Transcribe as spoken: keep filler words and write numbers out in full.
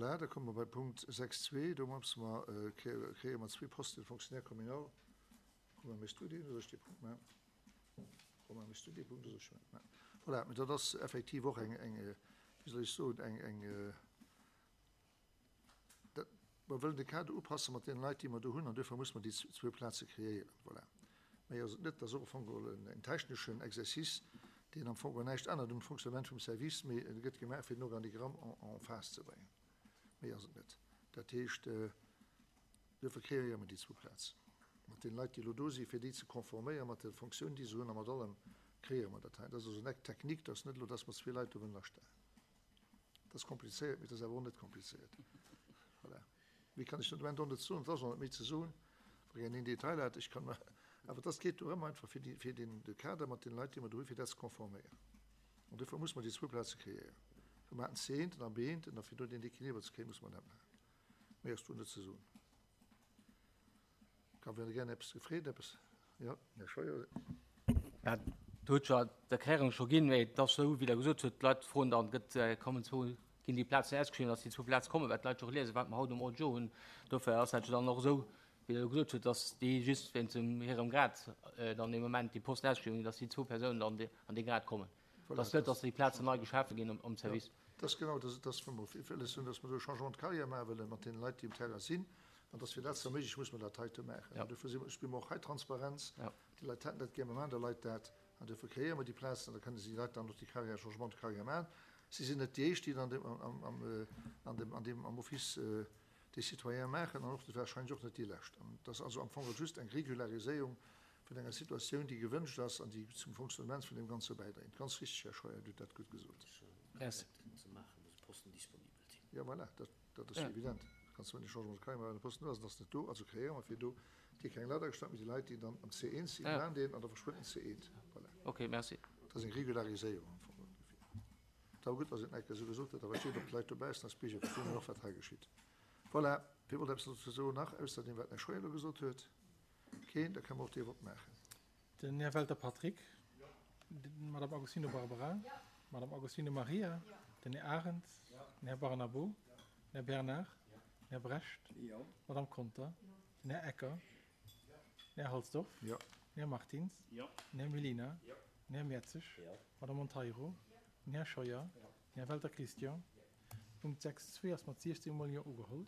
Voilà, da komme mer bei Punkt sechs zwee. Do musse mer, kréie mer zwee Posten Fonctionnaire communal. Romain, méchs du deen oder soll ech dee Punkt maachen? Romain, méchs du dee Punkt oder soll ech dee maachen? Voilà, mä dat ass effektiv och eng, eng, wéi soll ech soen, eng, eng, dat, mer wëllen de Kader upasse mat deene Leit, déi mer do hunn, an duerfir muss mer déi zwou Plaze kreéieren. Voilà. Méi ass et net. Dat ass och am Fong geholl en techneschen Exercice, deen am Fong geholl näischt ännert um Fonctionnement vum Service, mee e gëtt gemaach, fir den Organigramm en phase ze bréngen. Méi ass et net. Dat heescht, duerfir kreéiere mer déi zwou Plazen. Mat deene Leit, déi elo do sinn, fir déi ze konforméieren mat der Fonctioun, déi se hunn, a mat allem, kreéiere mer dat hei. Dat ass also en Acte technique, dat ass net elo, dass mer zwee Leit do wëllen astellen. Dat ass komplizéiert, mee dat ass awer och net komplizéiert. Voilà. Méi kann ech den Moment och net soen. Et ass och net méi ze soen, wa een een Detail hat. Ech kann awer, dat geet dorëm einfach, fir déi, fir den, de Kader mat den Leit, déi mer do hunn, fir dat ze konforméieren. An duerfir muss mer déi zwou Plaze kreéieren. Mir haten C eent an B eent, an fir do den Equiliber ze kréien, muss mer dat maachen. Méi ass do net ze soen. Ka wien gär eppes gefreet, eppes? Jo, Här Scheuer. Ja, do huet jo d'Erklärung scho ginn, mee et ass esou, wéi Der gesot hutt, d'Leit froen dann, gëtt, kommen zwou, ginn déi Plazen ausgeschriwwen, dass déi zwou Plaze kommen, well d'Leit jo och liesen, wat mer haut um Ordre du jour hunn. Dofir ass dat jo dann och esou, wéi Der gesot hutt, dass déi just wéinst dem hirem Grad dann dee Moment déi Posten ausgeschriwwen ginn, dass déi zwou Persounen dann an dee Grad kommen. Dass net, dass déi Plazen nei geschafe ginn am Service. Ja, dat ass genau, dat ass, wou mer wëlles hunn, dass mer do e Changement de carrière maache wëlle mat deene Leit, déi um Terrain sinn. An dass fir dat ze erméiglechen, muss mer dat heite maachen. An dofir si mer, spille mer och hei Transparenz. Déi Leit hätten dat gär, mer maachen der Leit dat. An dofir kreéiere mer déi Plazen an da kënne si déi Leit dann och déi Carrière, Changement de carrière maachen. Si sinn net déi éischt, déi an dem, am, am, an dem, an deem, am Office des Citoyens maachen an och wahrscheinlech och net déi lescht. An et ass also am Fong just eng Regulariséierung vun enger Situatioun, déi gewënscht ass an déi zum Fonctionnement vun deem Ganze bäidréint. Ganz richtig, Här Scheuer, Dir hutt dat gutt gesot. Jo, voilà, dat, dat ass jo evident. Kanns du net Changement de carrière maachen, wann de Posten do ass, an ass net do. Also kreéiere mer fir do déi keng Leit agestallt, mee déi Leit, déi dann am C eent sinn, maachen deen an da verschwënnt den C eent. Voilà. Okay, merci. Dat ass eng Regulariséierung am Fong ongeféier. Et awer gutt, dass een et esou gesot huet, da versteet och d'Leit dobaussen als Bierger verstinn och, wat hei geschitt. Voilà, wie wollt eppes dozou soen nach, ausser deem, wat den Här Scheuer elo gesot huet? Keen? Da kënne mer och dee Vott maachen. Den Här Welter Patrick. D'Madame Agostino Barbara. D'Madame Agostino Maria. Den Här Arendt. Den Här Barnabo. Den Här Bernard. Den Här Brecht. D'Madame Conter. Den Här Ecker. Den Här Halsdorf. Den Här Martins. Den Här Mellina. Den Här Mertzig. D'Madame Monteiro. Den Här Scheuer. Den Här Welter Christian. Punkt sechs zwee ass mat siechzéng mol Jo ugeholl.